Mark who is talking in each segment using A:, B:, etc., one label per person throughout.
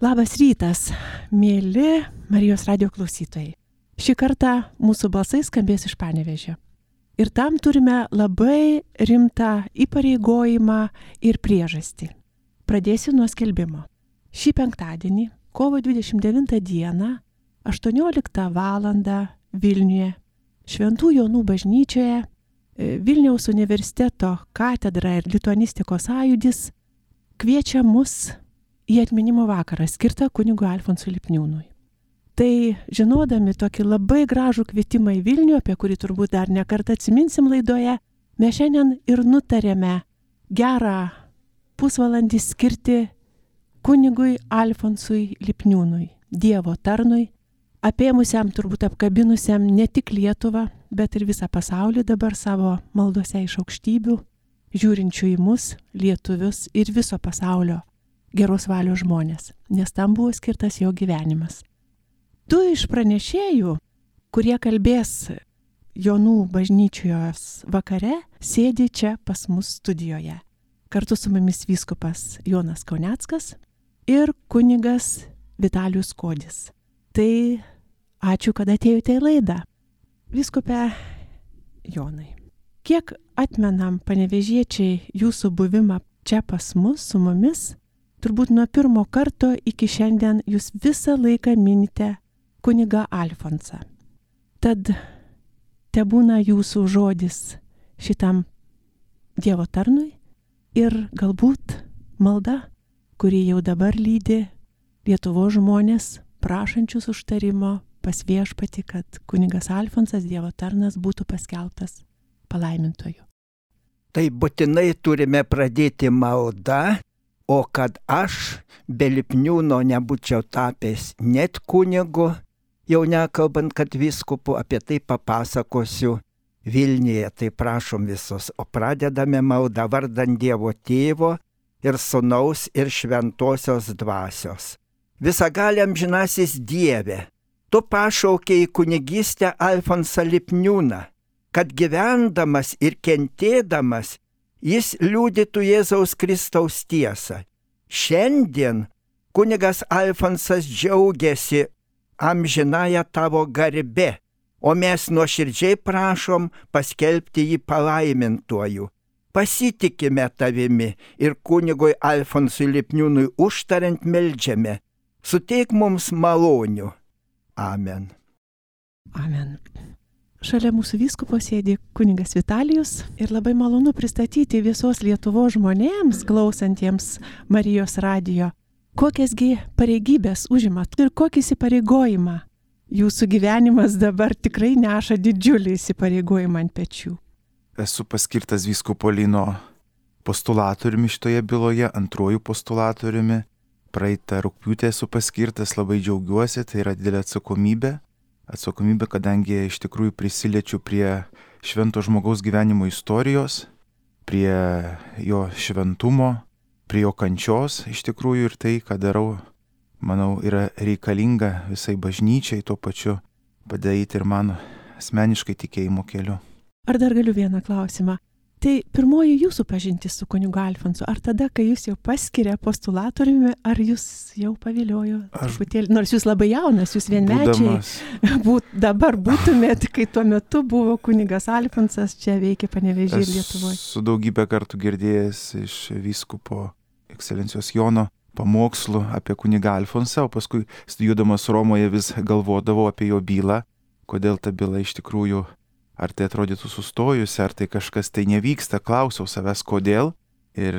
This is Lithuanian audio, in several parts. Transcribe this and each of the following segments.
A: Labas rytas, mėly Marijos radijo klausytojai. Šį kartą mūsų balsai skambės iš Panevėžio. Ir tam turime labai rimtą įpareigojimą ir priežastį. Pradėsiu nuo skelbimo. Šį penktadienį, kovo 29 dieną, 18 val. Vilniuje, Šventų Jonų bažnyčioje, Vilniaus universiteto katedra ir lituanistikos sąjūdis kviečia mus į atminimo vakarą skirtą kunigui Alfonsui Lipniūnui. Tai žinodami tokį labai gražų kvietimą į Vilnių, apie kurį turbūt dar ne kartą atsiminsim laidoje, mes šiandien ir nutarėme gerą pusvalandį skirti kunigui Alfonsui Lipniūnui, Dievo tarnui, apėmusiam, turbūt apkabinusiam ne tik Lietuvą, bet ir visą pasaulį dabar savo maldose iš aukštybių, žiūrinčių į mus, lietuvius ir viso pasaulio geros valios žmonės, nes tam buvo skirtas jo gyvenimas. Du iš pranešėjų, kurie kalbės Jonų bažnyčios vakare, sėdi čia pas mus studijoje. Kartu su mumis vyskupas Jonas Kauneckas ir kunigas Vitalijus Kodis. Tai ačiū, kad atėjote į laidą. Vyskupe Jonai, kiek atmenam panevėžiečiai jūsų buvimą čia pas mus, su mumis, turbūt nuo pirmo karto iki šiandien jūs visą laiką minite kunigą Alfonsą. Tad tebūna jūsų žodis šitam Dievo tarnui ir galbūt malda, kuri jau dabar lydi Lietuvos žmonės, prašančius užtarimo pas Viešpatį, kad kunigas Alfonsas, Dievo tarnas, būtų paskelbtas palaimintoju.
B: Tai būtinai turime pradėti maldą, o kad aš be Lipniūno nebūčiau tapęs net kunigu, jau nekalbant, kad vyskupu, apie tai papasakosiu Vilniuje, tai prašom visus. O pradedame maldą vardan Dievo Tėvo ir Sūnaus ir Šventosios Dvasios. Visagaliam amžinasis Dieve, tu pašaukei į kunigystę Alfonsą Lipniūną, kad gyvendamas ir kentėdamas jis liudytų Jėzaus Kristaus tiesą. Šiandien kunigas Alfonsas džiaugiasi amžinąją tavo garbe, o mes nuoširdžiai prašom paskelbti jį palaimintuoju. Pasitikime tavimi ir kunigui Alfonsui Lipniūnui užtariant meldžiame. Suteik mums malonių. Amen.
A: Amen. Šalia mūsų vyskupo sėdi kunigas Vitalijus ir labai malonu pristatyti visos Lietuvos žmonėms, klausantiems Marijos radijo, kokiasgi pareigybės užimat ir kokį įsipareigojimą. Jūsų gyvenimas dabar tikrai neša didžiulį įsipareigojimą ant pečių.
C: Esu paskirtas vyskupo Lino postulatoriumi šitoje byloje, antruoju postulatoriumi. Praeitą rugpjūtį esu paskirtas, labai džiaugiuosi, tai yra didelė atsakomybė. Atsakomybė, kadangi iš tikrųjų prisiliečiu prie švento žmogaus gyvenimo istorijos, prie jo šventumo, prie jo kančios iš tikrųjų ir tai, ką darau, manau, yra reikalinga visai bažnyčiai, tuo pačiu padaryti ir mano asmeniškai tikėjimo keliu.
A: Ar dar galiu vieną klausimą? Tai pirmoji jūsų pažintis su kunigu Alfonsu, ar tada, kai jūs jau paskiria postulatoriumi, ar jūs jau paviliojo truputėlį, nors jūs labai jaunas, jūs vienmečiai, dabar būtumėt, kai tuo metu buvo kunigas Alfonsas, čia veikia Panevėžyje ir Lietuvoje.
C: Esu daugybę kartų girdėjęs iš vyskupo ekscelencijos Jono pamokslų apie kunigą Alfonsą, o paskui studijuodamas Romoje vis galvodavau apie jo bylą, kodėl ta byla iš tikrųjų, ar tai atrodytų sustojusi, ar tai kažkas tai nevyksta, klausiau savęs kodėl ir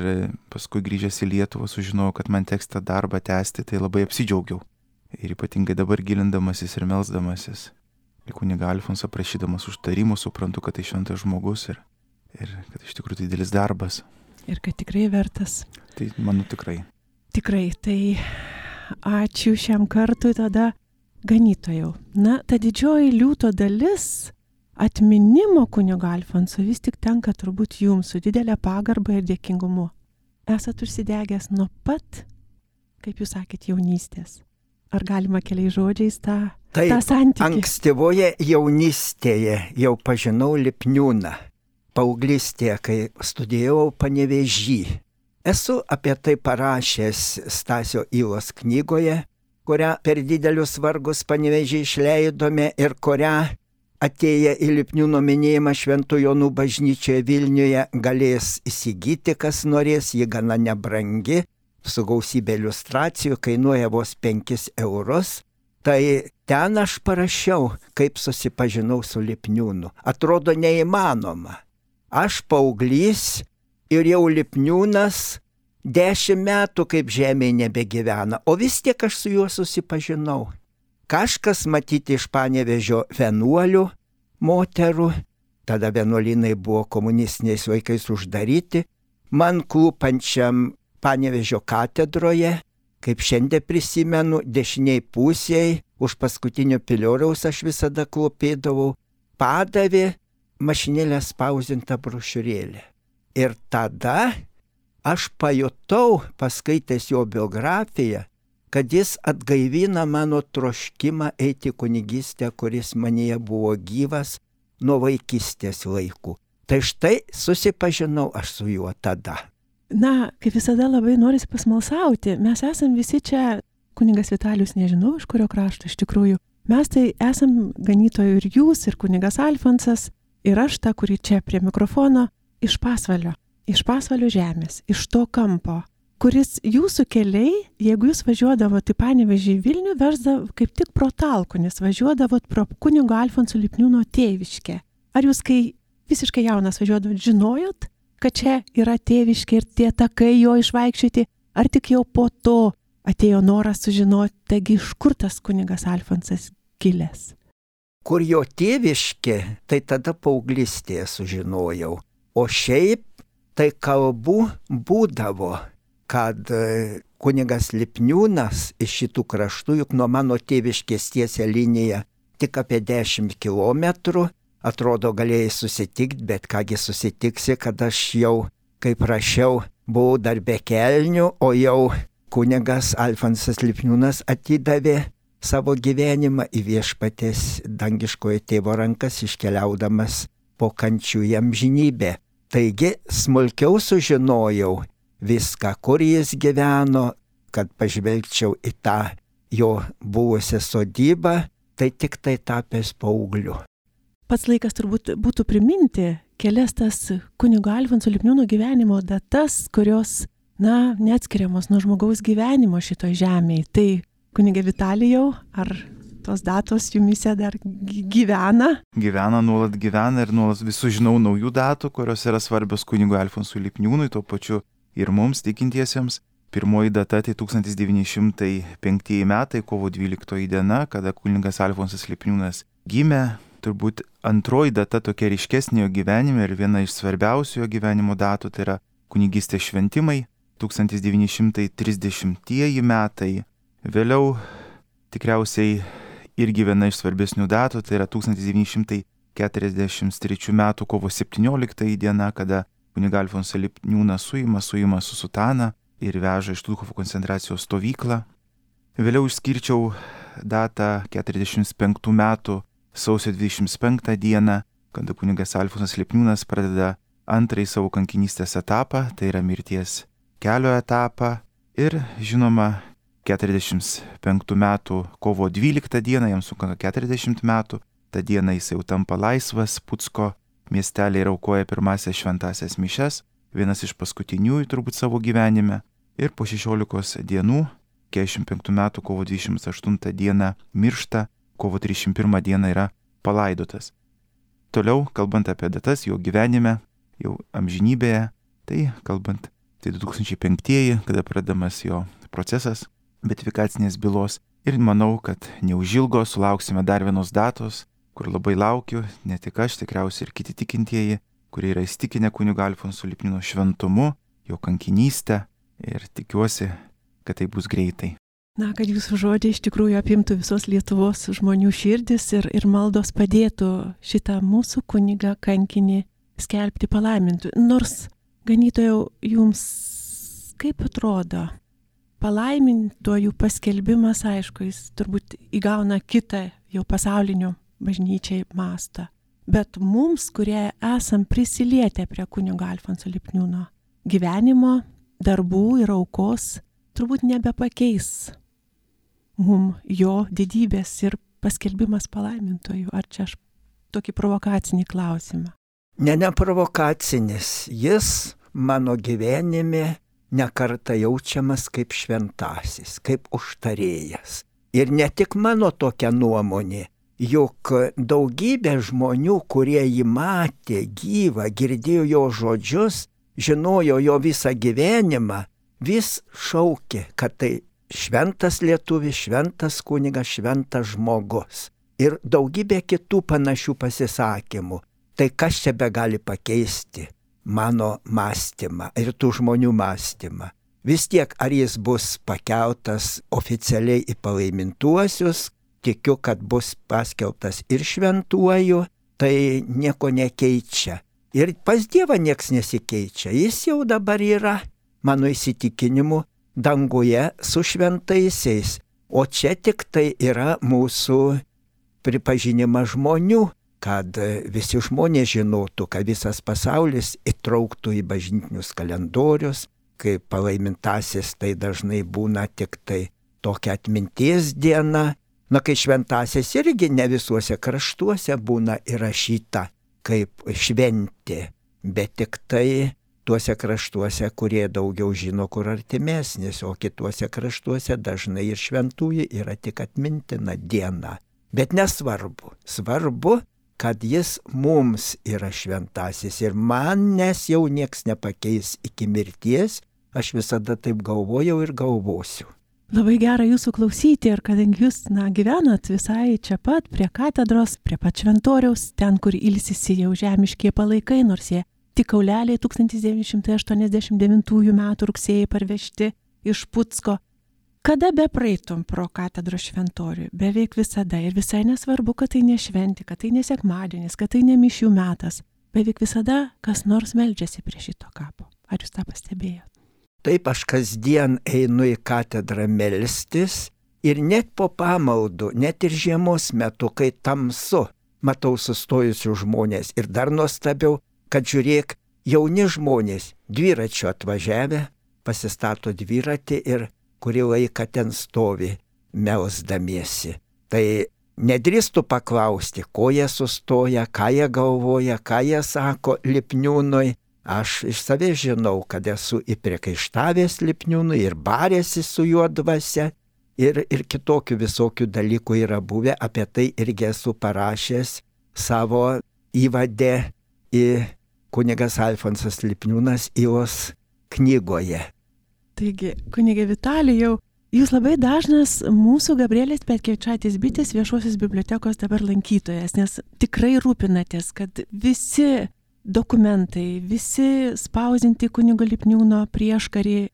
C: paskui grįžęs į Lietuvą sužinojau, kad man teks tą darbą tęsti, tai labai apsidžiaugiau. Ir ypatingai dabar gilindamasis ir melsdamasis. Ir kunigą Alfonsą prašydamas užtarimų suprantu, kad tai šventas žmogus ir kad iš tikrųjų tai didelis darbas.
A: Ir kad tikrai vertas.
C: Tai manau tikrai.
A: Tikrai, tai ačiū šiam kartui tada ganytojau. Na, ta didžioji liūto dalis atminimo kunigo Alfonso vis tik tenka turbūt jums su didelė pagarba ir dėkingumu. Esat užsidegęs nuo pat, kaip jūs sakėt, jaunystės. Ar galima keliais žodžiais tą santykį?
B: Ankstyvoje jaunystėje jau pažinau Lipniūną. Paauglystėje, kai studijavau Panevėžy. Esu apie tai parašęs Stasio Ylos knygoje, kurią per didelius vargus Panevėžį išleidome ir kurią atėję į Lipniūno minėjimą Šventų Jonų bažnyčioje Vilniuje galės įsigyti, kas norės, ji gana nebrangi, su gausybė iliustracijų, kainuoja vos 5 eurus. Tai ten aš parašiau, kaip susipažinau su Lipniūnu. Atrodo neįmanoma. Aš paauglys ir jau Lipniūnas 10 metų kaip žemėje nebegyvena, o vis tiek aš su juo susipažinau. Kažkas matyti iš Panevėžio vienuolių, moterų, tada vienuolynai buvo komunistiniais laikais uždaryti, man klūpančiam Panevėžio katedroje, kaip šiandien prisimenu, dešiniai pusėje, už paskutinio pilioriaus aš visada klūpėdavau, padavė mašinėlę spausdintą brošiūrėlę. Ir tada aš pajutau, paskaitęs jo biografiją, kad jis atgaivina mano troškimą eiti kunigystę, kuris manyje buvo gyvas nuo vaikystės laikų. Tai štai susipažinau aš su juo tada.
A: Na, kaip visada labai norisi pasmalsauti. Mes esam visi čia, kunigas Vitalijus nežinau, iš kurio krašto iš tikrųjų. Mes tai esam ganytojų ir jūs, ir kunigas Alfonsas, ir aš ta, kuri čia prie mikrofono, iš Pasvalio žemės, iš to kampo, kuris jūsų keliai, jeigu jūs važiuodavote į Panevėžį į Vilnių, versdavo kaip tik pro Talkunis, važiuodavot pro kunigo Alfonso Lipniūno tėviškę. Ar jūs, kai visiškai jaunas važiuodavot, žinojot, kad čia yra tėviškė ir tie takai jo išvaikščioti, ar tik jau po to atėjo noras sužinoti, taigi iš kur tas kunigas Alfonsas kilęs?
B: Kur jo tėviškė, tai tada paauglystėje sužinojau. O šiaip tai kalbų būdavo, kad kunigas Lipniūnas iš šitų kraštų, juk nuo mano tėviškės tiesia linija tik apie 10 kilometrų, atrodo galėjai susitikti, bet kągi susitiksi, kad aš jau, kaip rašiau, buvau dar be kelnių, o jau kunigas Alfonsas Lipniūnas atidavė savo gyvenimą į Viešpaties dangiškojo tėvo rankas, iškeliaudamas po kančių į amžinybę. Taigi smulkiau sužinojau viską, kur jis gyveno, kad pažvelgčiau į tą jo buvusią sodybą, tai tik tai tapęs paaugliu.
A: Pats laikas turbūt būtų priminti kelias tas kunigo Alfonso Lipniūno gyvenimo datas, kurios, neatskiriamos nuo žmogaus gyvenimo šitoj žemėje. Tai kunigė Vitalijau, ar tos datos jumise dar gyvena?
C: Nuolat gyvena ir nuolat vis sužinau naujų datų, kurios yra svarbios kunigo Alfonso Lipniūnui, tuo pačiu ir mums tikintiesiems. Pirmoji data tai 1905 metai, kovo 12 diena, kada kunigas Alfonsas Lipniūnas gimė. Turbūt antroji data tokia ryškesnė jo gyvenime ir viena iš svarbiausių jo gyvenimo datų, tai yra kunigystės šventimai, 1930 metai. Vėliau tikriausiai irgi viena iš svarbesnių datų, tai yra 1943 metų kovo 17 diena, kada kunigą Alfonsą Lipniūną suima su sutana ir veža iš Štuthofo koncentracijos stovyklą. Vėliau išskirčiau datą 45 metų sausio 25 dieną, kada kunigas Alfonsas Lipniūnas pradeda antrąjį savo kankinystės etapą, tai yra mirties kelio etapą. Ir žinoma, 45 metų kovo 12 dieną, jam sukanka 40 metų, tą dieną jis jau tampa laisvas, Pucko miestelį ir aukoja pirmasias šventasias mišias, vienas iš paskutiniųjų turbūt savo gyvenime. Ir po 16 dienų, 45 metų kovo 28 dieną miršta, kovo 31 dieną yra palaidotas. Toliau, kalbant apie datas jo gyvenime, jau amžinybėje, tai kalbant, tai 2005, kada pradedamas jo procesas beatifikacinės bylos. Ir manau, kad neužilgo sulauksime dar vienos datos, kur labai laukiu, ne tik aš, tikriausiai ir kiti tikintieji, kurie yra įstikinę kunigo Alfonso Lipniūno šventumu, jo kankinystę, ir tikiuosi, kad tai bus greitai.
A: Kad jūsų žodžiai iš tikrųjų apimtų visos Lietuvos žmonių širdis ir maldos padėtų šitą mūsų kunigą kankinį skelbti palaimintų. Nors, ganytojau, jums kaip atrodo, palaimintojų paskelbimas, aišku, jis turbūt įgauna kitą jau pasaulinių bažnyčiai mastą. Bet mums, kurie esam prisilietę prie kunigo Alfonso Lipniūno gyvenimo, darbų ir aukos turbūt nebepakeis mum jo didybės ir paskelbimas palaimintojų. Ar čia aš tokį provokacinį klausimą?
B: Ne provokacinis. Jis mano gyvenime nekartą jaučiamas kaip šventasis, kaip užtarėjas. Ir ne tik mano tokia nuomonė, juk daugybė žmonių, kurie jį matė gyvą, girdėjo jo žodžius, žinojo jo visą gyvenimą, vis šaukė, kad tai šventas lietuvis, šventas kunigas, šventas žmogus. Ir daugybė kitų panašių pasisakymų. Tai kas čia be gali pakeisti mano mąstymą ir tų žmonių mąstymą? Vis tiek, ar jis bus pakeltas oficialiai į palaimintuosius, tikiu, kad bus paskelbtas ir šventuoju, tai nieko nekeičia. Ir pas Dievą nieks nesikeičia. Jis jau dabar yra, mano įsitikinimu, danguje su šventaisiais. O čia tik tai yra mūsų pripažinimas žmonių, kad visi žmonės žinotų, kad visas pasaulis įtrauktų į bažnytinius kalendorius, kai palaimintasis tai dažnai būna tik tai tokia atminties diena. Na, kai šventasis irgi ne visuose kraštuose būna įrašyta kaip šventė, bet tik tai tuose kraštuose, kurie daugiau žino, kur artimesnis, o kituose kraštuose dažnai ir šventųjų yra tik atmintina diena. Bet nesvarbu. Svarbu, kad jis mums yra šventasis ir manęs jau nieks nepakeis iki mirties, aš visada taip galvojau ir galvosiu.
A: Labai gera jūsų klausyti ir kadangi jūs gyvenat visai čia pat prie katedros, prie pat šventoriaus, ten, kur ilsisi jau žemiškie palaikai, nors jie tik kauleliai 1989 metų rugsėjai parvežti iš Putsko. Kada be praeitum pro katedros šventorių, beveik visada ir visai nesvarbu, kad tai ne šventė, kad tai ne sekmadienis, kad tai ne mišių metas, beveik visada kas nors meldžiasi prie šito kapo. Ar jūs tą pastebėjot?
B: Taip, aš kasdien einu į katedrą melstis ir net po pamaldų, net ir žiemos metu, kai tamsu, matau sustojusių žmonės ir dar nuostabiau, kad žiūrėk, jauni žmonės dviračiu atvažiavę, pasistato dviratį ir kurį laiką ten stovi, melsdamiesi. Tai nedrįstų paklausti, ko jie sustoja, ką jie galvoja, ką jie sako Lipniūnui. Aš iš savęs žinau, kad esu įpriekaištavęs Lipniūnui ir barėsi su juo dvasia ir kitokių visokių dalykų yra buvę. Apie tai irgi esu parašęs savo įvade į kunigas Alfonsas Lipniūnas Ilos knygoje.
A: Taigi, kunigė Vitalijau, jūs labai dažnas mūsų Gabrielės Petkevičaitės Bitės viešosios bibliotekos dabar lankytojas, nes tikrai rūpinatės, kad visi dokumentai, visi spausdinti kunigo Lipniūno prieškarį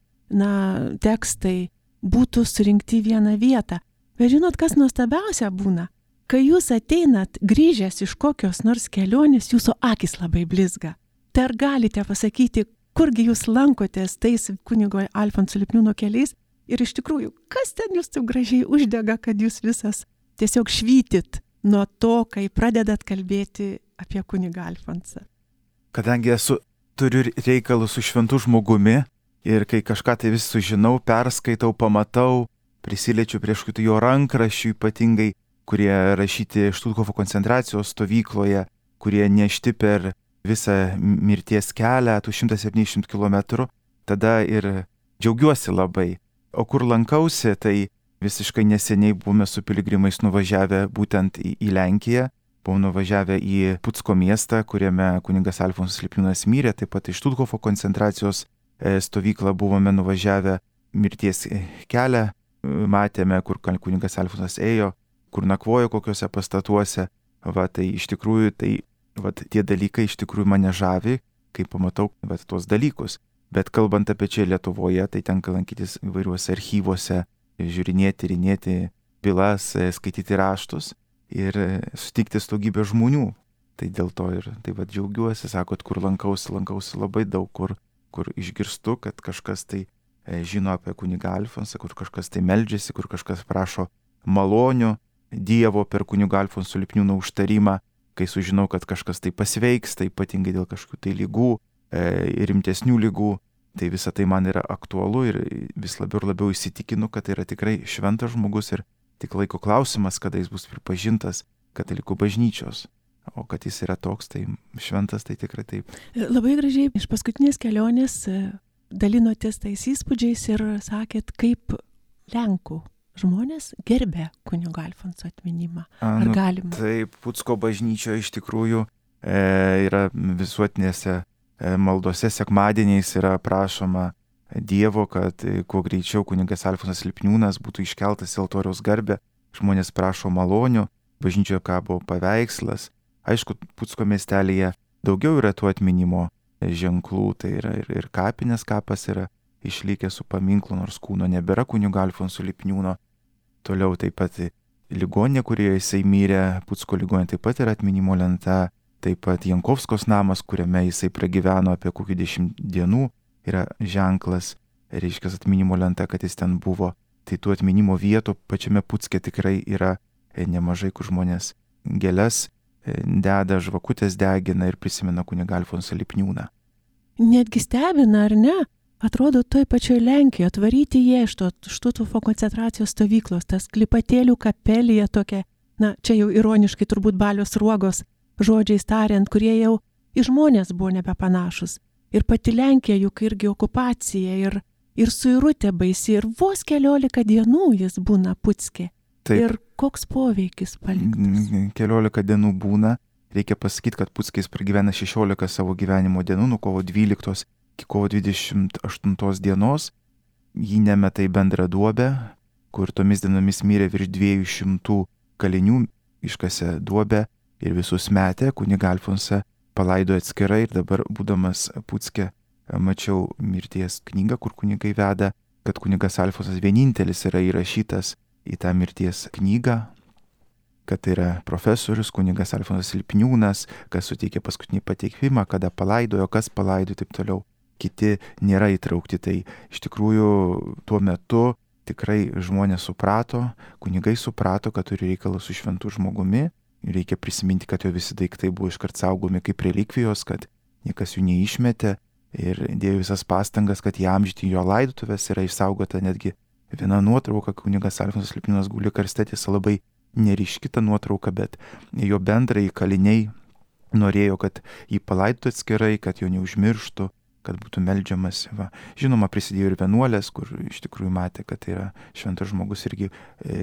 A: tekstai būtų surinkti į vieną vietą. Bet žinot, kas nuostabiausia būna? Kai jūs ateinat grįžęs iš kokios nors kelionės, jūsų akis labai blizga. Tai ar galite pasakyti, kurgi jūs lankotės tais kunigo Alfonso Lipniūno keliais ir iš tikrųjų, kas ten jūs taip gražiai uždega, kad jūs visas tiesiog švytit nuo to, kai pradedat kalbėti apie kunigą Alfonsą?
C: Kadangi turiu reikalų su šventu žmogumi ir kai kažką tai vis sužinau, perskaitau, pamatau, prisiliečiu prie jo rankraščių ypatingai, kurie rašyti Štuthofo koncentracijos stovykloje, kurie nešti per visą mirties kelią, tų 170 km, tada ir džiaugiuosi labai. O kur lankausi, tai visiškai neseniai buvome su piligrimais nuvažiavę būtent į Lenkiją, buvome nuvažiavę į Putsko miestą, kuriame kunigas Alfonsas Lipniūnas mirė, taip pat iš Štuthofo koncentracijos stovyklą buvome nuvažiavę mirties kelią, matėme, kur kunigas Alfonsas ėjo, kur nakvojo kokiuose pastatuose, tai iš tikrųjų tie dalykai iš tikrųjų mane žavi, kai pamatau tuos dalykus. Bet kalbant apie čia Lietuvoje, tai tenka lankytis įvairiuose archyvuose, žiūrinėti, tyrinėti bylas, skaityti raštus ir sutikti su daugybė žmonių. Tai dėl to ir džiaugiuosi, sakot, kur lankausi labai daug, kur išgirstu, kad kažkas tai žino apie kunigą Alfonsą, kur kažkas tai meldžiasi, kur kažkas prašo malonių Dievo per kunigą Alfonso Lipniūno užtarimą, kai sužinau, kad kažkas tai pasveiks, tai ypatingai dėl kažkokių tai lygų, rimtesnių lygų, Tai visa tai man yra aktualu ir vis labiau ir labiau įsitikinu, kad tai yra tikrai šventas žmogus ir tik laiko klausimas, kada jis bus pripažintas katalikų bažnyčios. O kad jis yra toks, tai šventas, tai tikrai taip.
A: Labai gražiai iš paskutinės kelionės dalinotės tais įspūdžiais ir sakėt, kaip Lenkų žmonės gerbė kunigo Alfonso atminimą. Ar galima?
C: Taip, Pucko bažnyčioje iš tikrųjų yra visuotinėse maldose sekmadieniais yra prašoma Dievo, kad kuo greičiau kunigas Alfonsas Lipniūnas būtų iškeltas į altoriaus garbę. Žmonės prašo malonių, bažnyčioje kabo paveikslas. Aišku, Pucko miestelėje daugiau yra tų atminimo ženklų, tai yra ir kapinės kapas yra išlikęs su paminklu, nors kūno nebėra kunigo Alfonso Lipniūno. Toliau taip pat ligoninė, kurioje jisai mirė, Pucko ligoninė taip pat yra atminimo lenta. Taip pat Jankovskos namas, kuriame jisai pragyveno apie kokių 10 dienų, yra ženklas, reiškia atminimo lenta, kad jis ten buvo. Tai tų atminimo vietų pačiame Pucke tikrai yra nemažai, kur žmonės gėles deda, žvakutės degina ir prisimena kunigą Alfonsą Lipniūną.
A: Netgi stebina, ar ne? Atrodo, toj pačioj Lenkijoje atvaryti jie iš to Štuthofo koncentracijos stovyklos, tas Klipatėlių kapelija tokia, na, čia jau ironiškai turbūt Balios Sruogos žodžiais tariant, kurie jau į žmonės buvo nebepanašus. Ir pati Lenkija juk irgi okupacija ir suirutė baisi ir vos 14 dienų jis būna Pucke.
C: Taip.
A: Ir koks poveikis paliktas?
C: 14 dienų būna. Reikia pasakyti, kad Pucke jis pragyvena 16 savo gyvenimo dienų, nuo kovo 12 iki kovo 28 dienos. Jį nemeta į bendrą duobę, kur tomis dienomis mirė virš 200 kalinių, iškasė duobę ir visus metė. Kunigą Alfonsą palaidojo atskirai ir dabar, būdamas Pucke, mačiau mirties knygą, kur kunigai veda, kad kunigas Alfonsas vienintelis yra įrašytas į tą mirties knygą, kad tai yra profesorius kunigas Alfonsas Lipniūnas, kas suteikė paskutinį pateikimą, kada palaidojo, kas palaidojo, taip toliau. Kiti nėra įtraukti. Tai iš tikrųjų tuo metu tikrai žmonės suprato, kunigai suprato, kad turi reikalą su šventu žmogumi. Reikia prisiminti, kad jo visi daiktai buvo iškart saugomi kaip relikvijos, kad niekas jų neišmetė ir dėjo visas pastangas, kad įamžinti jo laidotuvės. Yra išsaugota netgi viena nuotrauka, kunigas Alfonsas Lipniūnas guli karste, tiesa labai neryški ta nuotrauka, bet jo bendrai kaliniai norėjo, kad jį palaidotų atskirai, kad jo neužmirštų, kad būtų meldžiamas. Va. Žinoma, prisidėjo ir vienuolės, kur iš tikrųjų matė, kad tai yra šventas žmogus, irgi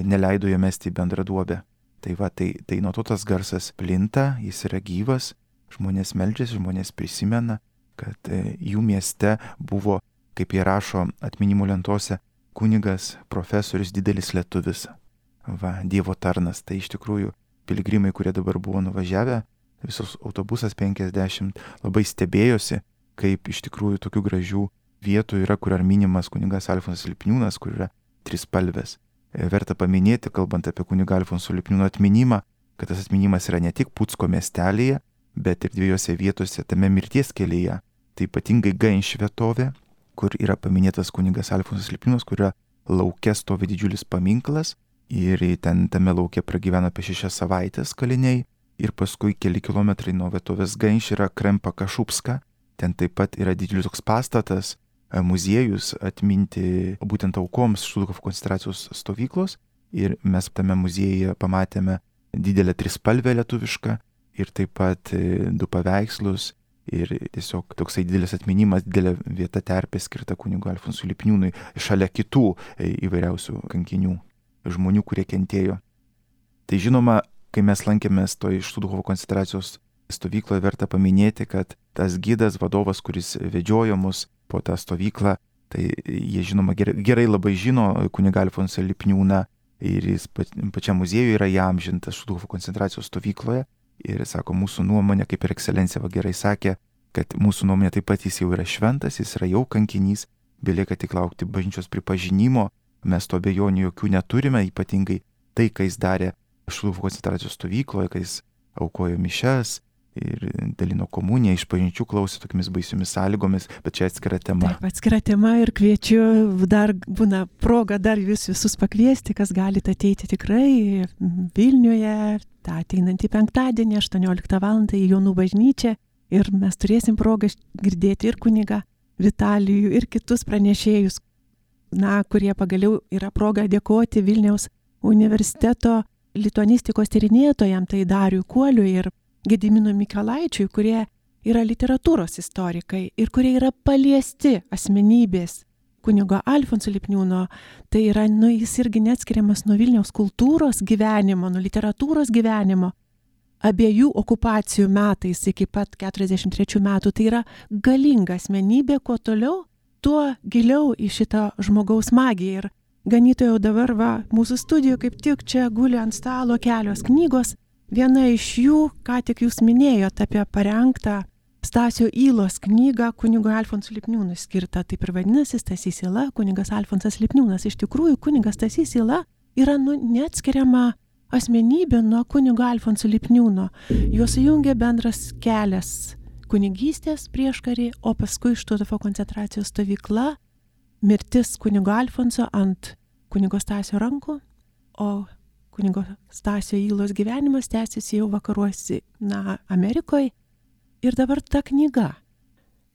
C: neleido jo mesti į bendrą duobę. Tai va, tai nuo to tas garsas plinta, jis yra gyvas, žmonės meldžiasi, žmonės prisimena, kad jų mieste buvo, kaip jie rašo atminimo lentose, kunigas, profesorius, didelis lietuvis, va, Dievo tarnas. Tai iš tikrųjų piligrimai, kurie dabar buvo nuvažiavę, visos autobusas 50, labai stebėjosi, kaip iš tikrųjų tokių gražių vietų yra, kur yra minimas kunigas Alfonsas Lipniūnas, kur yra trispalvės. Verta paminėti, kalbant apie kunigą Alfonso Lipniūno atminimą, kad tas atminimas yra ne tik Pucko miestelėje, bet ir 2 vietose tame mirties kelyje. Tai ypatingai Gainš vietovė, kur yra paminėtas kunigas Alfonsas Lipniūnas, kur yra lauke stovi didžiulis paminklas ir ten tame lauke pragyveno apie 6 savaitės kaliniai ir paskui keli kilometrai nuo vietovės Gainš yra Krempa Kašupska. Ten taip pat yra didžiulis toks pastatas, muziejus atminti būtent aukoms Štuthofo koncentracijos stovyklos ir mes tame muziejuje pamatėme didelę trispalvę lietuvišką ir taip pat 2 paveikslus ir tiesiog toksai didelis atminimas, didelė vieta terpė skirta kunigui Alfonsui Lipniūnui šalia kitų įvairiausių kankinių, žmonių, kurie kentėjo. Tai žinoma, kai mes lankėmės toj Štuthofo koncentracijos stovykloje, verta paminėti, kad tas gidas, vadovas, kuris vedžiojo mus po tą stovyklą, tai jie žinoma gerai labai žino kunigą Alfonsą Lipniūną ir jis pačiam muziejuje yra įamžintas Štuthofo koncentracijos stovykloje ir sako, mūsų nuomonė, kaip ir ekscelencija gerai sakė, kad mūsų nuomonė taip pat jis jau yra šventas, jis yra jau kankinys, belieka tik laukti bažnyčios pripažinimo, mes to abejonių jokių neturime, ypatingai tai, ką jis darė Štuthofo koncentracijos stovykloje, kai jis aukojo mišias ir dalino komuniją, iš pažinčių klausė tokiamis baisiomis sąlygomis, bet čia atskira tema.
A: Taip, atskira tema ir kviečiu, dar būna proga dar jūs visus pakviesti, kas galite ateiti tikrai Vilniuje, tą ateinantį penktadienį, 18 val. Į Jonų bažnyčią ir mes turėsim progą girdėti ir kunigą Vitalijų ir kitus pranešėjus, kurie pagaliau yra proga dėkoti Vilniaus universiteto lituanistikos tyrinėtojam, tai Dariui Kuoliui ir Gediminui Mikelaičiui, kurie yra literatūros istorikai ir kurie yra paliesti asmenybės kunigo Alfonso Lipniūno. Tai yra, jis irgi neatskiriamas nuo Vilniaus kultūros gyvenimo, nuo literatūros gyvenimo. Abiejų okupacijų metais iki pat 43 metų. Tai yra galinga asmenybė, kuo toliau, tuo giliau į šitą žmogaus magiją. Ir ganytojau dabar mūsų studijoje kaip tik čia guli ant stalo kelios knygos. Viena iš jų, ką tik jūs minėjote apie parengtą Stasio Ylos knygą kunigo Alfonso Lipniūnui skirtą. Taip ir vadinasi Stasys Yla, kunigas Alfonsas Lipniūnas. Iš tikrųjų, kunigas Stasys Yla yra neatskiriama asmenybė nuo kunigo Alfonso Lipniūno. Juos sujungia bendras kelias kunigystės prieškarį, o paskui Štuthofo koncentracijos stovykla, mirtis kunigo Alfonso ant kunigo Stasio rankų, o kunigo Stasio Ylos gyvenimas tęsiasi jau vakaruose, Amerikoje. Ir dabar ta knyga.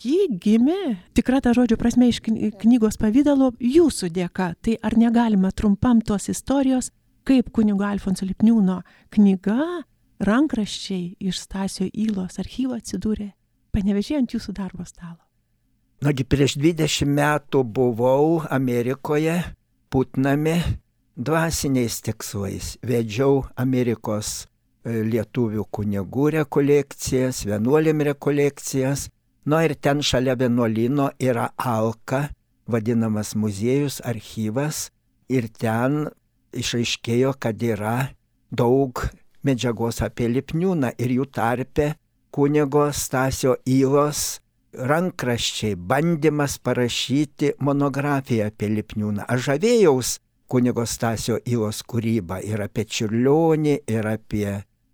A: Ji gimė, tikra ta žodžio prasme, iš knygos pavydalo jūsų dėka. Tai ar negalima trumpam tos istorijos, kaip kunigo Alfonso Lipniūno knyga, rankraščiai iš Stasio Ylos archyvo atsidūrė Panevėžyje ant jūsų darbo stalo?
B: Prieš 20 metų buvau Amerikoje, Putname, dvasiniais tikslais. Vedžiau Amerikos lietuvių kunigų rekolekcijas, vienuolėm rekolekcijas. Ir ten šalia vienuolyno yra Alka, vadinamas muziejus, archyvas. Ir ten išaiškėjo, kad yra daug medžiagos apie Lipniūną ir jų tarpe kunigo Stasio Ylos rankraščiai, bandymas parašyti monografiją apie Lipniūną. Aš žavėjaus kunigo Stasio Ylos kūrybą ir apie Čiurlionį, ir apie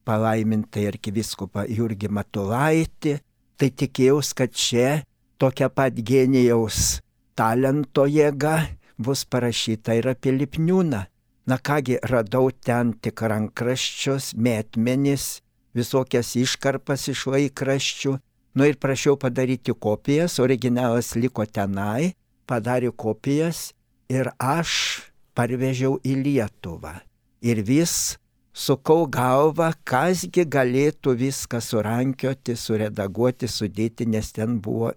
B: palaimintą arkivyskupą Jurgį Matulaitį. Tai tikėjaus, kad čia tokia pat genijaus talento jėga bus parašyta ir apie Lipniūną. Kągi, radau ten tik rankraščius, metmenis, visokias iškarpas iš laikraščių. Ir prašiau padaryti kopijas, originalas liko tenai, padarė kopijas ir aš parvežiau į Lietuvą. Ir vis sukau galvą, kasgi galėtų viską surankioti, suredaguoti, sudėti, nes ten buvo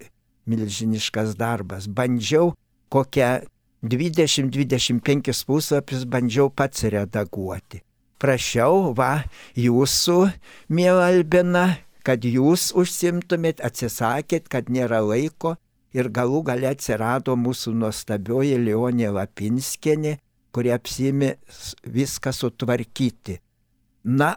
B: milžiniškas darbas. Bandžiau kokią 20-25 puslapius bandžiau pats redaguoti. Prašiau, jūsų, miela Albina, kad jūs užsimtumėt, atsisakėt, kad nėra laiko ir galų gale atsirado mūsų nuostabioji Leonė Lapinskienė, kuri apsiėmė viską sutvarkyti.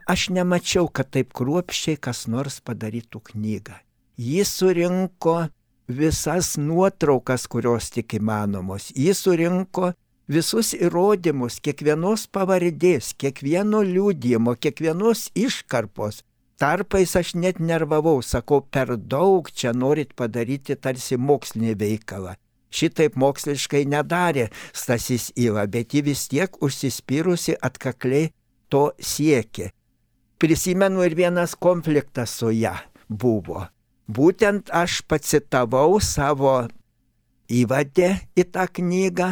B: Aš nemačiau, kad taip kruopščiai kas nors padarytų knygą. Ji surinko visas nuotraukas, kurios tik įmanomos. Ji surinko visus įrodymus, kiekvienos pavardės, kiekvieno liudijimo, kiekvienos iškarpos. Tarpais aš net nervavau, sakau, per daug čia norit padaryti tarsi mokslinį veikalą. Šitaip moksliškai nedarė Stasys Yla, bet ji vis tiek užsispyrusi atkakliai to siekė. Prisimenu, ir vienas konfliktas su ja buvo. Būtent aš pacitavau savo įvadę į tą knygą,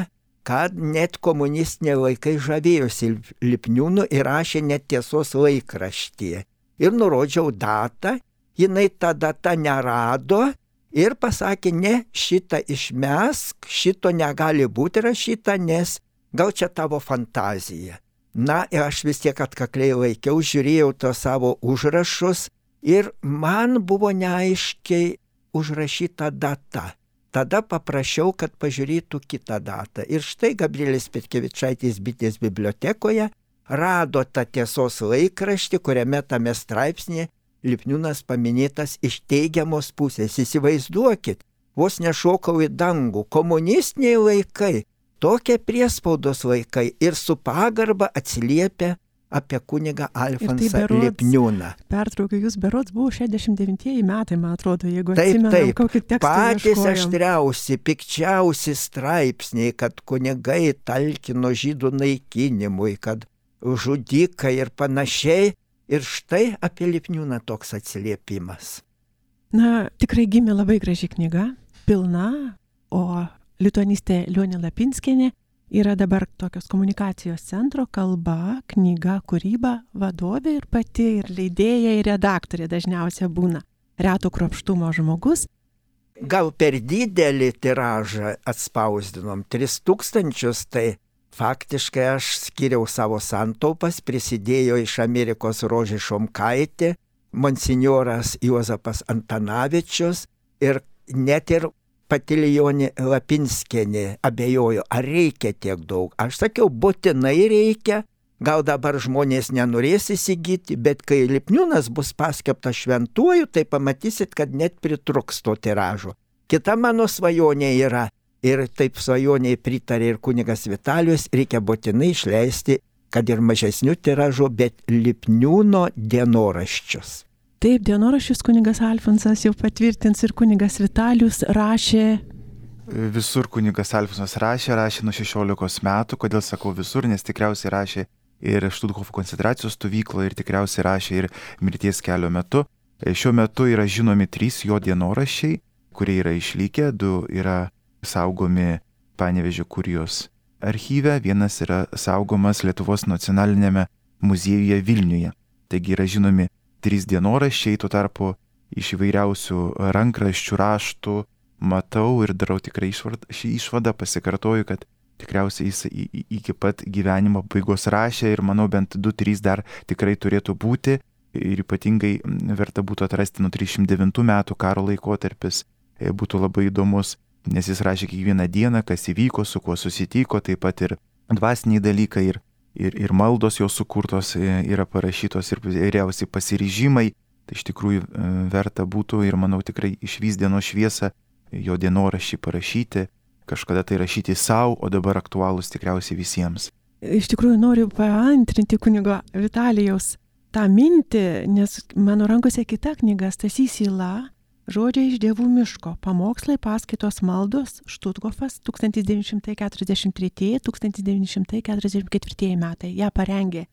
B: kad net komunistiniai laikai žavėjosi Lipniūnu ir rašė net Tiesos laikraštyje. Ir nurodžiau datą, jinai tą datą nerado ir pasakė, ne, šitą išmesk, šito negali būti rašyta, nes gal čia tavo fantazija. Ir aš vis tiek atkakliai laikiau, žiūrėjau tos savo užrašus ir man buvo neaiškiai užrašyta data. Tada paprašiau, kad pažiūrėtų kitą datą. Ir štai Gabrielės Petkevičaitės bitės bibliotekoje rado tą Tiesos laikraštį, kuriame tame straipsnėje Lipniūnas paminėtas iš teigiamos pusės. Įsivaizduokit, vos nešokau į dangų, komunistiniai laikai. Tokie priespaudos laikai ir su pagarba atsiliepia apie kunigą Alfonsą Lipniūną.
A: Pertraukiu, jūs berods buvo 69 metai, man atrodo, jeigu atsimenam, kokį tekstą
B: patys
A: ieškojom.
B: aštriausi, pikčiausi straipsniai, kad kunigai talkino žydų naikinimui, kad žudikai ir panašiai. Ir štai apie Lipniūną toks atsiliepimas.
A: Tikrai gimė labai graži knyga. pilna, o lituanistė Lionė Lapinskienė yra dabar tokios komunikacijos centro kalba, knyga, kūryba vadovė ir pati, ir leidėja, ir redaktorė dažniausiai būna. Reto kruopštumo žmogus.
B: Gal per didelį tiražą atspausdinom 3000, tai faktiškai aš skiriau savo santaupas, prisidėjo iš Amerikos Rožė Šomkaitė, monsinjoras Juozapas Antanavičius ir net ir pati Lionė Lapinskienė abejojo, ar reikia tiek daug. Aš sakiau, būtinai reikia, gal dabar žmonės nenorės įsigyti, bet kai Lipniūnas bus paskelbtas šventuoju, tai pamatysit, kad net pritruks to tiražo. Kita mano svajonė yra, ir taip svajoniai pritarė ir kunigas Vitalijus, reikia būtinai išleisti, kad ir mažesnių tiražų, bet Lipniūno dienoraščius.
A: Taip, dienoraščius kunigas Alfonsas jau patvirtins ir kunigas Vitalijus rašė.
C: Visur kunigas Alfonsas rašė nuo 16 metų. Kodėl sakau visur, nes tikriausiai rašė ir Štuthofo koncentracijos stovykloje ir tikriausiai rašė ir mirties kelio metu. Šiuo metu yra žinomi 3 jo dienoraščiai, kurie yra išlikę, 2 yra saugomi Panevėžio kurijos archyve, 1 yra saugomas Lietuvos nacionalinėme muziejuje Vilniuje. Taigi yra žinomi 3 dienoraščiai, tuo tarpu iš įvairiausių rankraščių, raštų matau ir darau tikrai šį išvadą, pasikartoju, kad tikriausiai jis iki pat gyvenimo pabaigos rašė ir manau bent 2-3 dar tikrai turėtų būti ir ypatingai verta būtų atrasti nuo 309 metų karo laikotarpis, būtų labai įdomus, nes jis rašė kiekvieną dieną, kas įvyko, su kuo susitiko, taip pat ir dvasiniai dalykai ir maldos jau sukurtos yra parašytos ir įvairiausi pasiryžimai, tai iš tikrųjų verta būtų ir manau tikrai išvys dienos šviesą jo dienoraščiai parašyti, kažkada tai rašyti savo, o dabar aktualūs tikriausiai visiems.
A: Iš tikrųjų noriu paantrinti kunigo Vitalijaus tą mintį, nes mano rankose kita knyga Stasys Yla, Žodžiai iš dievų miško, pamokslai, paskaitos, maldos, Štuthofas 1933-1944 metai. Ja parengė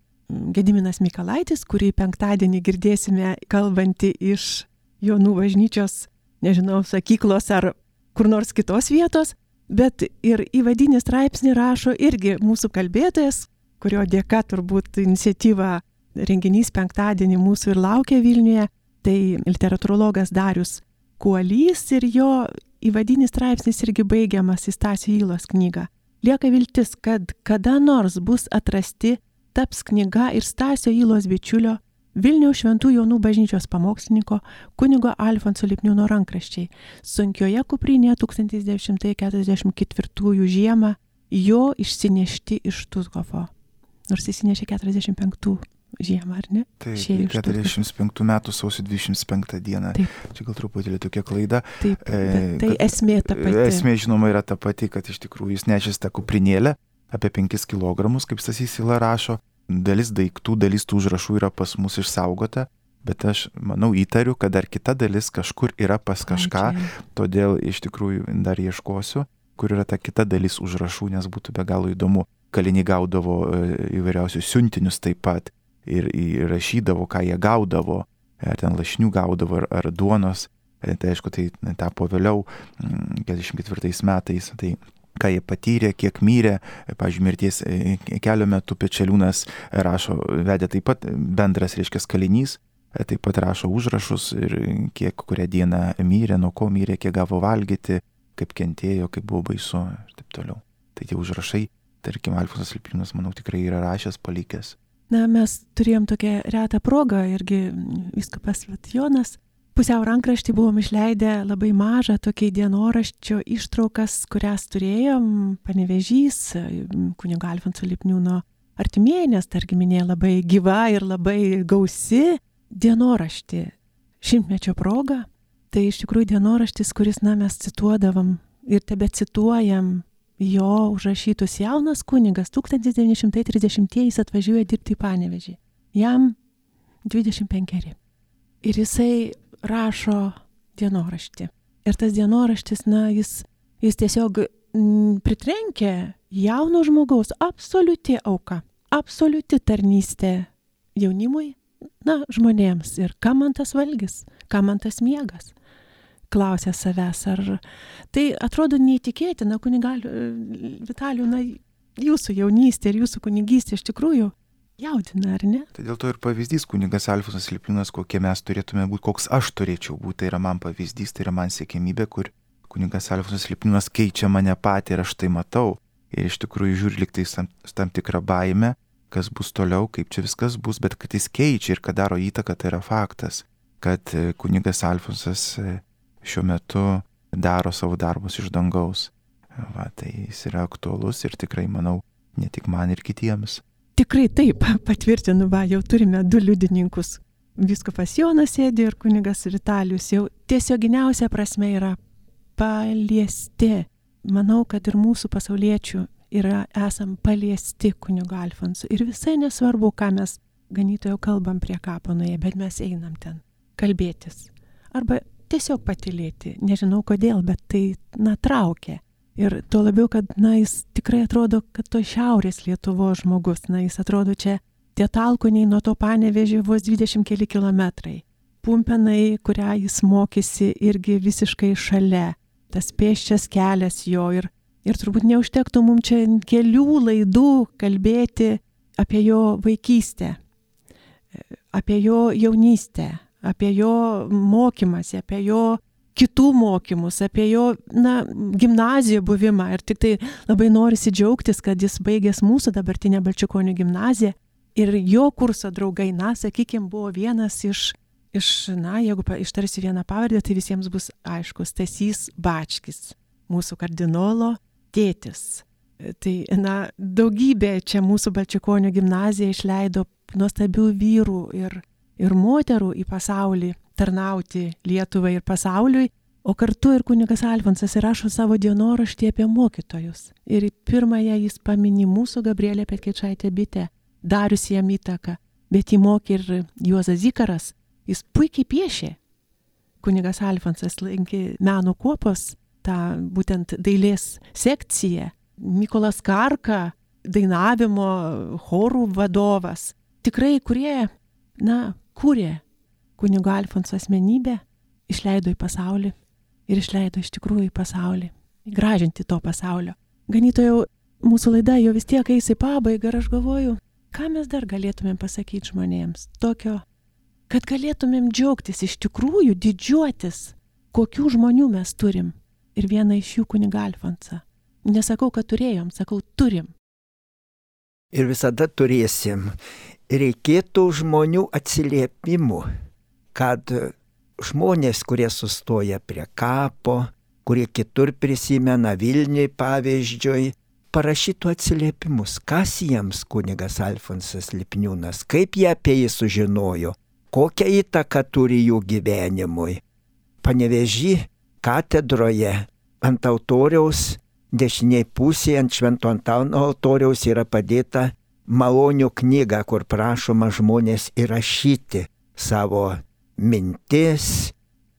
A: Gediminas Mikalaitis, kurį penktadienį girdėsime kalbantį iš Jonų bažnyčios, nežinau, sakyklos ar kur nors kitos vietos, bet ir įvadinį straipsnį rašo irgi mūsų kalbėtojas, kurio dėka turbūt iniciatyva renginys penktadienį mūsų ir laukia Vilniuje, tai literatūrologas Darius Kuolys ir jo įvadinis straipsnis irgi baigiamas į Stasio Ylos knygą. Lieka viltis, kad kada nors bus atrasti, taps knyga ir Stasio Ylos bičiulio Vilniaus Šventų Jonų bažnyčios pamokslininko kunigo Alfonso Lipniūno rankraščiai. Sunkioje kuprinėje 1944 žiemą jo išsinešti iš Štuthofo. Nors įsinešė 45 žiemą, ar ne?
C: Taip, 45 metų sausio 25 dieną. Taip. Čia gal truputėlį tokia klaida.
A: Taip, tai esmė ta pati.
C: Esmė žinoma yra ta pati, kad iš tikrųjų jis nešęs tą kuprinėlę apie 5 kg, kaip Stasys Yla rašo. Dalis daiktų, dalis tų užrašų yra pas mus išsaugota, bet aš manau įtariu, kad dar kita dalis kažkur yra pas kažką, todėl iš tikrųjų dar ieškosiu, kur yra ta kita dalis užrašų, nes būtų be galo įdomu. Kaliniai gaudavo įvairiausius siuntinius taip pat. Ir rašydavo, ką jie gaudavo, ar ten lašinių gaudavo, ar duonos. Tai aišku, tai tapo vėliau, 44 metais, tai ką jie patyrė, kiek mirė, pavyzdžiui, mirties kelio metu Pečeliūnas rašo, vedė taip pat bendras, reiškia, kalinys, taip pat rašo užrašus ir kiek kurią dieną mirė, nuo ko mirė, kiek gavo valgyti, kaip kentėjo, kaip buvo baisu ir taip toliau. Tai tie užrašai, tarkim, Alfonsas Lipniūnas, manau, tikrai yra rašęs, palikęs.
A: Na, mes turėjom tokią retą progą, irgi vyskupas Jonas, pusiau rankraštį buvom išleidę labai mažą tokį dienoraščio ištraukas, kurias turėjom, Panevėžys, kunigo Alfonso Lipniūno artimieji, nes targiminė labai gyva ir labai gausi dienoraštį šimtmečio proga. Tai iš tikrųjų dienoraštis, kuris, mes cituodavom ir tebe cituojam, jo užrašytus. Jaunas kunigas 1930-ieji atvažiuoja dirbti į Panevėžį. Jam 25. Ir jisai rašo dienoraštį. Ir tas dienoraštis, jis tiesiog pritrenkia jauno žmogaus absoliuti auka, absoliuti tarnystė jaunimui, žmonėms. Ir kam man tas valgis, kam man tas miegas, klausia savęs, ar tai atrodo neįtikėtina, Vitalijau, na, jūsų jaunystė ir jūsų kunigystė iš tikrųjų jaudina, ar ne?
C: Tai dėl to ir pavyzdys kunigas Alfonsas Lipliūnas, kokie mes turėtume būti, koks aš turėčiau būti, tai yra man pavyzdys, tai yra man siekimybė, kur kunigas Alfonsas Lipliūnas keičia mane patį ir aš tai matau. Ir iš tikrųjų žiūri liktai tam tikrą baimę, kas bus toliau, kaip čia viskas bus, bet kad jis keičia ir kad daro įtaką, tai yra faktas, kad kunigas Alfonsas šiuo metu daro savo darbus iš dangaus. Va, tai jis yra aktualus ir tikrai, manau, ne tik man ir kitiems.
A: Tikrai taip, patvirtinu, jau turime 2 liudininkus. Vyskupas Jonas sėdi ir kunigas Vitalijus jau tiesioginiausia prasme yra paliesti. Manau, kad ir mūsų pasauliečių esam paliesti kunigo Alfonso. Ir visai nesvarbu, ką mes ganytojo kalbam prie kapo nuėję, bet mes einam ten kalbėtis. Arba tiesiog patylėti. Nežinau kodėl, bet tai, traukia. Ir tuo labiau, kad, jis tikrai atrodo, kad to šiaurės Lietuvos žmogus. Jis atrodo čia tie Talkoniai nuo to Panevėžio vos 20 keli kilometrai. Pumpėnai, kurią jis mokėsi irgi visiškai šalia. Tas pėsčias kelias jo ir turbūt neužtektų mums čia kelių laidų kalbėti apie jo vaikystę, apie jo jaunystę, apie jo mokymąsi, apie jo kitų mokymus, apie jo, gimnazijoje buvimą. Ir tik tai labai norisi džiaugtis, kad jis baigęs mūsų dabartinę Balčikonių gimnaziją ir jo kurso draugai, sakykime, buvo vienas iš jeigu ištarsiu vieną pavardę, tai visiems bus aiškus, Stasys Bačkis, mūsų kardinolo tėtis. Tai, daugybė čia mūsų Balčikonių gimnazija išleido nuostabių vyrų ir moterų į pasaulį, tarnauti Lietuvai ir pasauliui, o kartu ir kunigas Alfonsas įrašo savo dienoraštį apie mokytojus. Ir pirmąją jis pamini mūsų Gabrielę Petkečaitę Bitę, darius jam įtaką, bet jį mokė ir Juozas Zikaras. Jis puikiai piešė. Kunigas Alfonsas lankė meno kuopos, tą būtent dailės sekciją. Mykolas Karka, dainavimo chorų vadovas. Tikrai, kurie, kūrė kunigo Alfonso asmenybę, išleido į pasaulį ir išleido iš tikrųjų į pasaulį. Gražinti to pasaulio. Ganytojau, mūsų laida jau vis tiek eis į pabaigą ir aš galvoju, ką mes dar galėtumėm pasakyti žmonėms tokio, kad galėtumėm džiaugtis, iš tikrųjų didžiuotis, kokių žmonių mes turim. Ir vieną iš jų kunigą Alfonsą. Nesakau, kad turėjom, sakau, turim.
B: Ir visada turėsim. Reikėtų žmonių atsiliepimų, kad žmonės, kurie sustoja prie kapo, kurie kitur prisimena Vilniui pavyzdžiui, parašytų atsiliepimus, kas jiems kunigas Alfonsas Lipliūnas, kaip jie apie jį sužinojo, kokią įtaką turi jų gyvenimui. Panevėžy katedroje ant altoriaus, dešiniai pusėje ant Švento Antano altoriaus yra padėta malonių knyga, kur prašoma žmonės įrašyti savo mintis,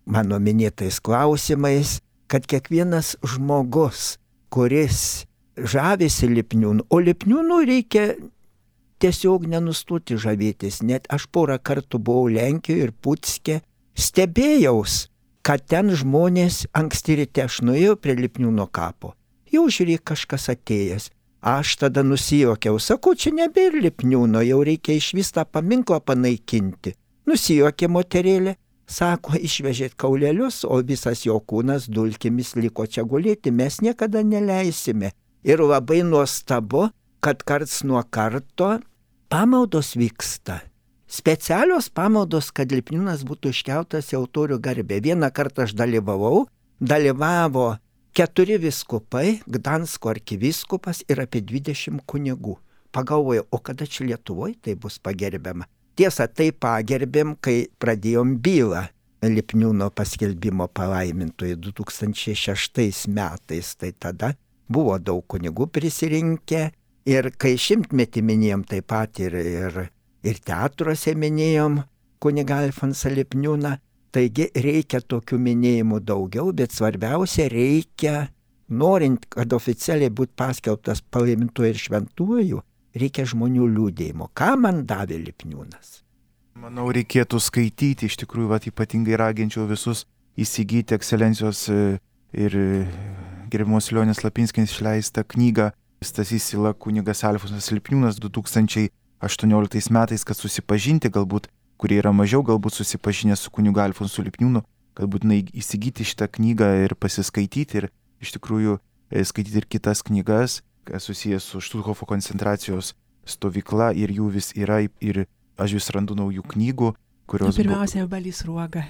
B: mano minėtais klausimais, kad kiekvienas žmogus, kuris žavisi Lipliūnu, o Lipliūnu reikia tiesiog nenustoti žavėtis. Net aš porą kartų buvau Lenkijoje ir Putske, stebėjaus, kad ten žmonės anksti ryte, aš nuėjau prie Lipliūno kapo. Jau žiūrėk, kažkas atėjęs. Aš tada nusijuokiau, sakau, čia nebėra Lipliūno, jau reikia išvis tą paminklą panaikinti. Nusijuokė moterėlė, sako, išvežėt kaulelius, o visas jo kūnas dulkėmis liko čia gulėti, mes niekada neleisime. Ir labai nuostabu, kad karts nuo karto pamaldos vyksta. Specialios pamaldos, kad Lipliūnas būtų iškeltas į altorių garbę. Vieną kartą aš dalyvavo 4 vyskupai, Gdansko arkivyskupas ir apie 20 kunigų. Pagalvojau, o kada čia Lietuvoje tai bus pagerbiama? Tiesa, tai pagerbėm, kai pradėjom bylą Lipliūno paskelbimo palaimintojų 2006 metais. Tai tada buvo daug kunigų prisirinkę ir kai 100-metį minėjom taip pat ir teatruose minėjom kunigą Alfonsą Lipliūną. Taigi reikia tokių minėjimų daugiau, bet svarbiausia reikia, norint, kad oficialiai būtų paskelbtas palaimintuoju ir šventuoju, reikia žmonių liūdėjimo. Ką man davė Lipliūnas?
C: Manau, reikėtų skaityti, iš tikrųjų, ypatingai raginčiau visus įsigyti ekscelencijos ir gerbiamos Lionės Lapinskės išleistą knygą Stasys Yla kunigas Alfonsas Lipniūnas 2018 metais, kad susipažinti galbūt, kurie yra mažiau galbūt susipažinę su kunigu Alfonsu Lipniūnu, kad būtinai įsigyti šitą knygą ir pasiskaityti ir iš tikrųjų skaityti ir kitas knygas, susijęs su Štuthofo koncentracijos stovykla ir jų vis yra ir aš vis randu naujų knygų, kurios...
A: Pirmiausia, Balys Sruoga.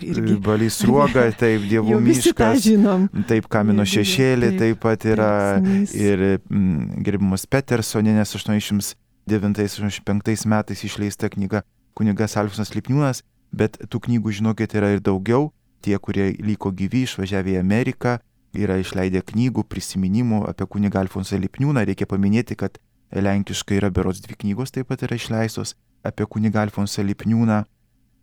C: Balys Sruoga, taip, Dievų miškas, taip, Kamino šešėlį, taip pat yra ir gerbiamos Petersonienės 89-85 metais išleista knyga kunigas Alfonsas Lipniūnas, bet tų knygų, žinokit, yra ir daugiau. Tie, kurie liko gyvi, išvažiavę į Ameriką, yra išleidę knygų, prisiminimų apie kunigą Alfonsą Lipniūną. Reikia paminėti, kad lenkiškai yra berods 2 knygos taip pat yra išleistos apie kunigą Alfonsą Lipniūną.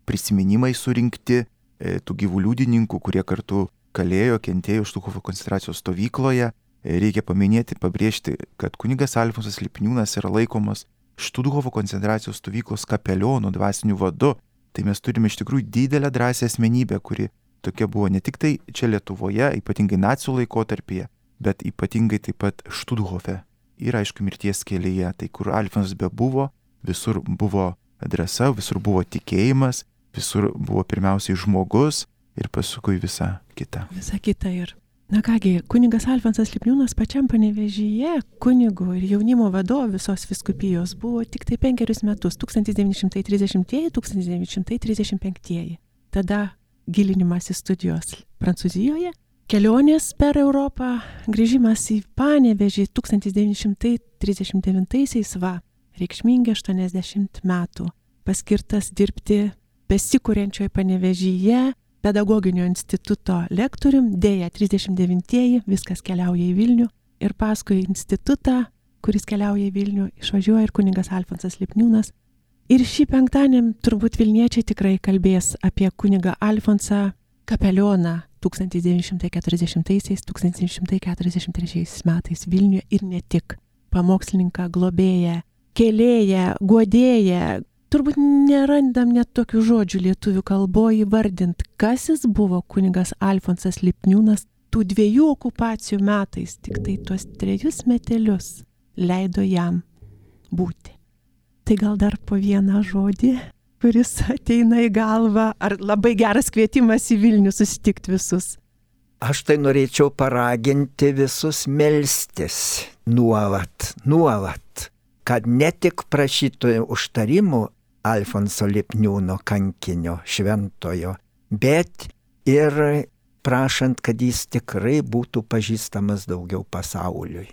C: Prisiminimai surinkti tų gyvų liudininkų, kurie kartu kalėjo, kentėjo Štuthofo koncentracijos stovykloje. Reikia paminėti, pabrėžti, kad kunigas Alfonsas Lipniūnas yra laikomas Štuthofo koncentracijos stovyklos kapelionu, dvasiniu vadu. Tai mes turime iš tikrųjų didelę drąsią asmenybę, kuri tokia buvo ne tik tai čia Lietuvoje, ypatingai nacių laikotarpyje, bet ypatingai taip pat Štuthofe ir aišku mirties kelyje. Tai kur Alfonsas bebuvo, visur buvo drąsa, visur buvo tikėjimas, visur buvo pirmiausiai žmogus ir paskui visa kita.
A: Visa kita ir. Na kągi, kunigas Alfonsas Lipniūnas pačiam Panevėžyje kunigu ir jaunimo vadovu visos vyskupijos buvo tik tai 5 metus, 1930-1935. Tada gilinimas į studijos Prancūzijoje, kelionės per Europą, grįžimas į Panevėžį 1939 va, reikšmingi 80 metų, paskirtas dirbti besikuriančioje Panevėžyje pedagoginio instituto lektorium, dėja 39-ieji, viskas keliauja į Vilnių ir paskui institutą, kuris keliauja į Vilnių, išvažiuoja ir kunigas Alfonsas Lipniūnas. Ir šį penktadienį turbūt vilniečiai tikrai kalbės apie kunigą Alfonsą kapelioną 1940-1943 metais Vilniuje ir ne tik. Pamokslininką, globėją, kėlėją, guodėją. Turbūt nerandam net tokių žodžių lietuvių kalboje įvardint, kas jis buvo kunigas Alfonsas Lipniūnas tų 2 okupacijų metais, tik tai tuos 3 metelius leido jam būti. Tai gal dar po vieną žodį, kuris ateina į galvą, ar labai geras kvietimas į Vilnių susitikti visus?
B: Aš tai norėčiau paraginti visus melstis nuolat, kad ne tik prašytų užtarimų Alfonso Lipniūno kankinio šventojo, bet ir prašant, kad jis tikrai būtų pažįstamas daugiau pasauliui.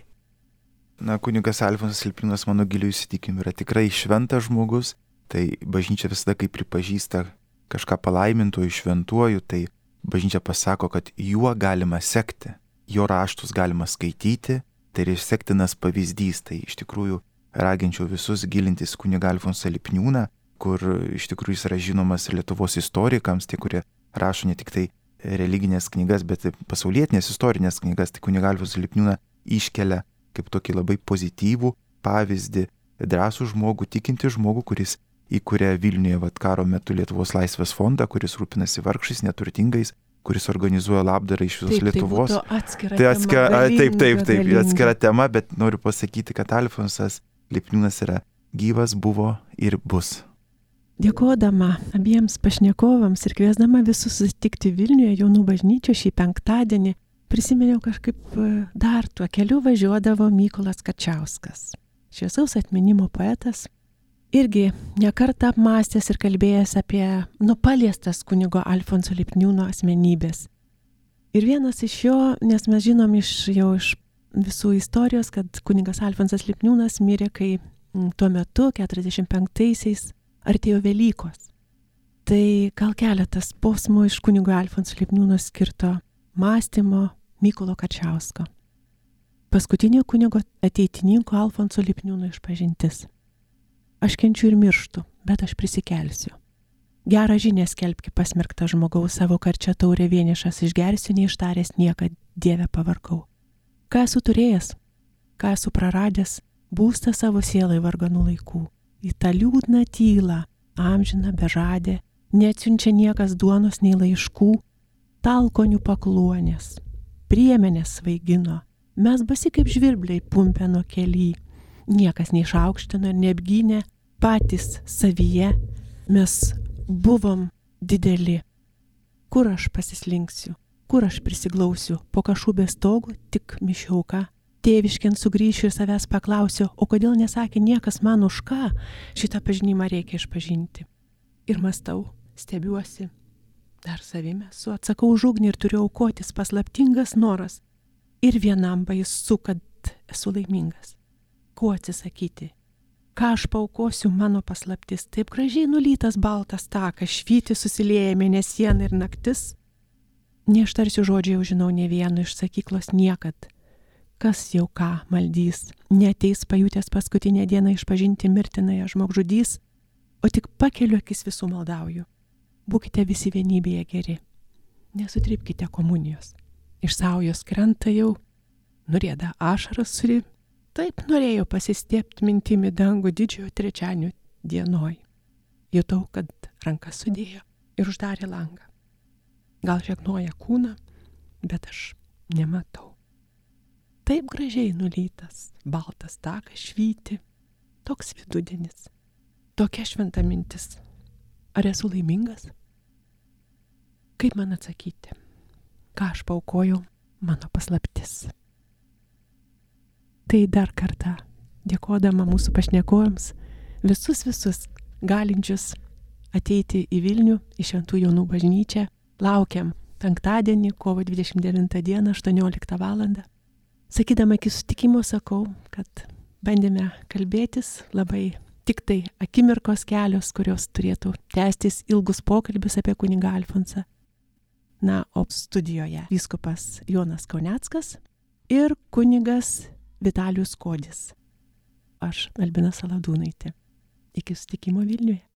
C: Na, kunigas Alfonsas Lipniūnas, mano giliu įsitikinimu, yra tikrai šventas žmogus, tai bažnyčia visada, kai pripažįsta kažką palaimintuoju, šventuoju, tai bažnyčia pasako, kad juo galima sekti, jo raštus galima skaityti, tai yra sektinas pavyzdys. Tai iš tikrųjų raginčiau visus gilintis kunigą Alfonsą Lipniūną, kur iš tikrųjų jis yra žinomas Lietuvos istorikams, tie, kurie rašo ne tik tai religinės knygas, bet ir pasaulietinės istorinės knygas. Tai kunigą Alfonsą Lipniūną iškelia kaip tokį labai pozityvų pavyzdį, drąsų žmogų, tikintį žmogų, kuris įkuria Vilniuje karo metu Lietuvos laisvės fondą, kuris rūpinasi vargšais, neturtingais, kuris organizuoja labdarą iš visos Lietuvos. Tai atskira tema, bet noriu pasakyti, kad Alfonsas Lipniūnas yra gyvas, buvo ir bus.
A: Dėkodama abiems pašnekovams ir kviesdama visus susitikti Vilniuje jaunų bažnyčių šį penktadienį, prisiminiau kažkaip dar tuo keliu važiuodavo Mykolas Kačauskas, šviesaus atminimo poetas, irgi nekartą apmąstęs ir kalbėjęs apie paliestas kunigo Alfonso Lipniūno asmenybės. Ir vienas iš jo, nes mes žinom iš visų istorijos, kad kunigas Alfonsas Lipniūnas mirė, kai tuo metu, 45-aisiais, artėjo Velykos. Tai gal keletas posmų iš kunigo Alfonso Lipniūno skirto mąstymo Mykolo Kačausko. Paskutinio kunigo ateitininko Alfonso Lipniūno išpažintis. Aš kenčiu ir mirštu, bet aš prisikelsiu. Gerą žinią skelbki pasmerktą žmogaus, savo karčią taurę vienišas išgersiu, neištaręs niekad, Dieve pavargau. Ką esu turėjęs, ką esu praradęs, būstą savo sielai varganų laikų. Į tą liūdną tylą, amžiną bežadę, neatsiunčia niekas duonos nei laiškų, stalkonių pakluonės, priemenės svaigino, mes basi kaip žvirbliai pumpeno kely, niekas neišaukštino ir neapgynė, patys savyje mes buvom dideli. Kur aš pasislinksiu, kur aš prisiglausiu, po kašubės stogų tik mišiauka. Tėviškien sugrįšiu ir savęs paklausiu, o kodėl nesakė niekas man už ką, šitą pažinimą reikia išpažinti. Ir mąstau, stebiuosi, dar savime esu, atsakau už ugnį ir turiu aukotis, paslaptingas noras. Ir vienam baisu, kad esu laimingas. Ko atsisakyti? Ką aš paaukosiu, mano paslaptis? Taip gražiai nulytas baltas takas, švyti susilieja mėnesiena ir naktis. Neištarsiu žodžiai, jau žinau ne vieno iš sakyklos niekad. Kas jau ką maldys, neateis pajutęs paskutinę dieną išpažinti mirtinąją žmogžudys, o tik pakeliu akis visų maldauju. Būkite visi vienybėje geri. Nesutrypkite komunijos. Iš saujos krenta jau, nurieda ašaras suri. Taip norėjau pasistiepti mintimi dangų didžiojo trečiadienio dienoj. Jutau, kad rankas sudėjo ir uždarė langą. Gal žegnoja kūną, bet aš nematau. Taip gražiai nulytas, baltas takas švyti, toks vidudienis, tokia šventa mintis. Ar esu laimingas? Kaip man atsakyti? Ką aš paaukojau, mano paslaptis. Tai dar kartą, dėkodama mūsų pašnekovams, visus galinčius ateiti į Vilnių, į Šventų Jonų bažnyčią, laukiam penktadienį, kovo 29 dieną, 18 val. Sakydama iki sutikimo sakau, kad bandėme kalbėtis labai tik tai akimirkos kelios, kurios turėtų tęstis ilgus pokalbius apie kunigą Alfonsą. Na, o studijoje vyskupas Jonas Kauneckas ir kunigas Vitalijus Kodis. Aš, Albina Saladūnaitė. Iki sutikimo Vilniuje.